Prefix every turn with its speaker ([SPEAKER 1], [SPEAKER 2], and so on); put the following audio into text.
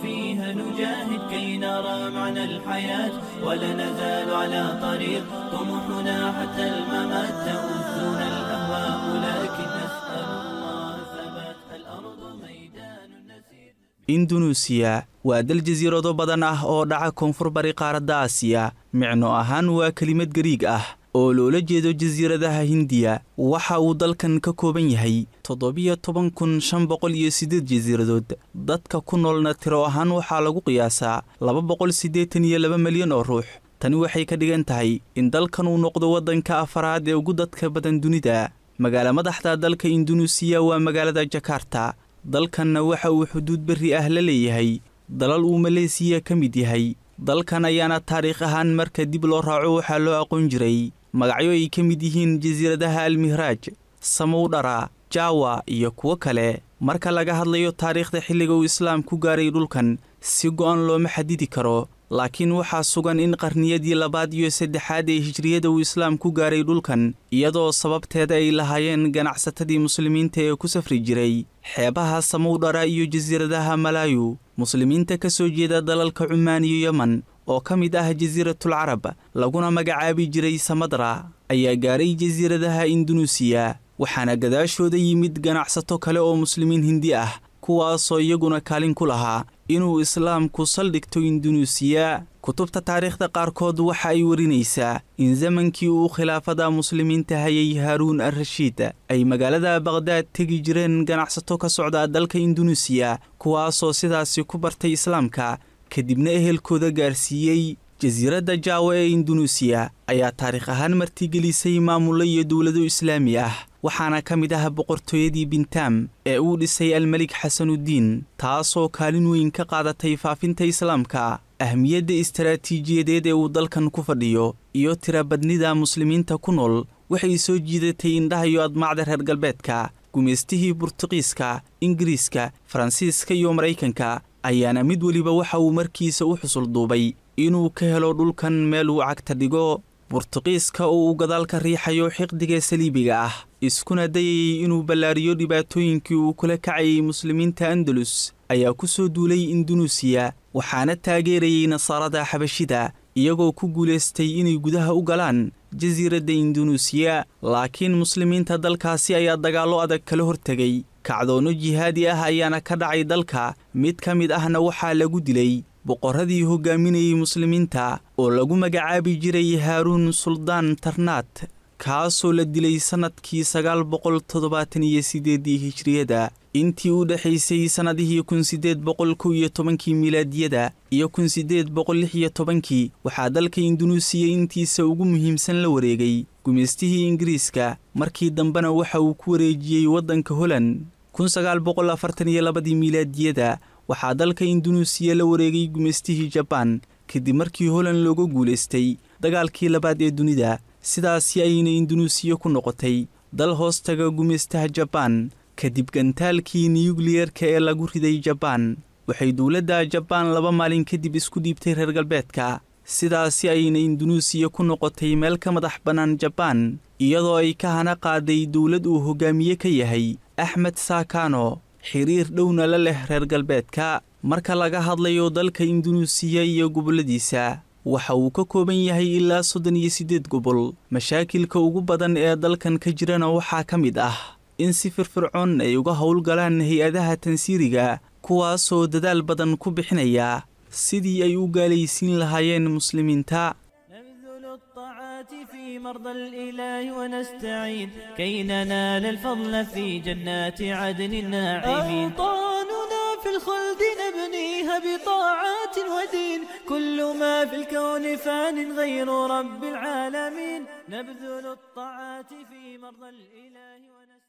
[SPEAKER 1] فيها نجاهد كي نرى معنى الحياة، ولا نزال على طريق طموحنا حتى الممات. تؤذنا الأهواء لكن نسأل الله الثبات، الأرض ميدان نسير.
[SPEAKER 2] Indunuusiya waa dal jasiirado badan ah oo dhaca koonfur bari qaaradda Aasiya. Micno ahaan waa kelimad Gariig ah oo loola jeedo jasiiradaha Hindiya. Waxa uu dalkan ka kooban yahay 17,508 jasiiradood. Dadka ku noolna tiro ahaan waxaa lagu qiyaasaa 282 milyan oo ruux. Tani waxay ka dhigan tahay in dalkan uu noqdo waddanka afaraad ee ugu dadka badan dunida. Magaala madaxda dalka Indunuusiya waa magaalada Jakarta. Dalkanna waxa uu xuduud berri ah la leeyahay dalal uu Maleesiya ka mid yahay. Dalkan ayaana taariikh ahaan marka dib loo raaco waxaa loo aqoon jiray magacyo ay ka mid yihiin jasiiradaha Almihraaj, Samowdhara, Jawa iyo kuwo kale. Marka laga hadlayo taariikhda xilliga uu Islaam ku gaaray dhulkan, si go'an looma xadidi karo, laakiin waxaa sugan in qarniyadii labaad iyo saddexaad ee hijriyada uu Islaam ku gaaray dhulkan, iyadoo sababteeda ay lahaayeen ganacsatadii muslimiinta ee ku safri jiray xeebaha Samowdhara iyo jasiiradaha Malaayu. Muslimiinta ka soo jeeda dalalka Cumaan iyo Yeman oo ka mid ah Jasiiratul Carab laguna magacaabi jiray Samadra ayaa gaaray jasiiradaha Indunuusiya, waxaana gadaashooda yimid ganacsato kale oo muslimiin Hindi ah, kuwaasoo iyaguna kaalin ku lahaa inuu Islaamku saldhigto Indunuusiya. Kutubta taariikhda qaarkood waxa ay warinaysaa in zamankii uu khilaafada muslimiinta hayay Haaruun ar-Rashiid ay magaalada Baqhdaad tegi jireen ganacsato ka socda dalka Indunuusiya, kuwaasoo sidaasi ku bartay Islaamka kadibna ehelkooda gaarsiiyey. Jasiiradda Jaawa ee Indunuusiya ayaa taariikh ahaan martigelisay maamullo iyo dowlado islaami ah, waxaana ka mid ah boqortooyadii Bintaam ee uu dhisay Almelik Xasanudiin, taasoo kaalin weyn ka qaadatay faafinta Islaamka. Ahmiyadda istaraatiijiyadeed ee uu dalkan ku fadhiyo iyo tirabadnida muslimiinta ku nool waxay soo jiidatay indhaha iyo admacda reer galbeedka. Gumaystihii Burtuqiiska, Ingiriiska, Faransiiska iyo Maraykanka ayaana mid weliba waxa uu markiisa u xusul duubay inuu ka helo dhulkan meel uu cagta dhigo. Burtuqiiska oo uu gadaal ka riixayo xiqdiga saliibiga ah, iskuna dayayay inuu ballaariyo dhibaatooyinkii uu kula kacayay muslimiinta Andalus, ayaa ku soo duulay Indunuusiya, waxaana taageerayay nasaarada Xabashida, iyagoo ku guulaystay inay gudaha u galaan jasiiradda Indunuusiya. Laakiin muslimiinta dalkaasi ayaa dagaallo adag kala hortegay, kacdoonno jihaadi ah ayaana ka dhacay dalka. Mid ka mid ahna waxaa lagu dilay boqorradii hogaaminayay muslimiinta oo lagu magacaabi jiray Haaruun Suldaan Tarnaat, kaasoo la dilay sannadkii 978 hijriyada. Intii u dhexaysay sannadihii 1811 milaadiyada iyo 1816 waxaa dalka Indunuusiya intiisa ugu muhiimsan la wareegay gumaystihii Ingiriiska, markii dambena waxa uu ku wareejiyey waddanka Holland. 1942 milaadiyada waxaa dalka Indunuusiya la wareegay gumaystihii Jabaan kadib markii Holland looga guulaystay dagaalkii labaad ee dunida. Sidaasi ayna Indunuusiya ku noqotay dal hoostaga gumaystaha Jabaan. Kadib gantaalkii niyukliyerka ee lagu riday Jabaan, waxay dowladda Jabaan 2 maalin kadib isku dhiibtay reer galbeedka. Sidaasi ayna Indunuusiya ku noqotay meel ka madax bannaan Jabaan, iyadoo ay ka hana qaaday dowlad uu hogaamiye ka yahay Axmed Saakano, xiriir dhowna la leh reer galbeedka. Marka laga hadlayo dalka Indunuusiya iyo gobolladiisa, waxa uu ka kooban yahay ilaa 38 gobol. Mashaakilka ugu badan ee dalkan ka jirana waxaa ka mid ah in si firfircoon ay uga howlgalaan hay-adaha tansiiriga, kuwaasoo dadaal badan ku bixinaya sidii ay u gaalaysiin lahaayeen muslimiinta.
[SPEAKER 1] نبذل الطاعات في مرضى الإله ونستعين كي ننال الفضل في جنات عدن الناعمين. أوطاننا في الخلد نبنيها بطاعات ودين، كل ما في الكون فان غير رب العالمين. نبذل الطاعات في مرضى الإله ونستعين.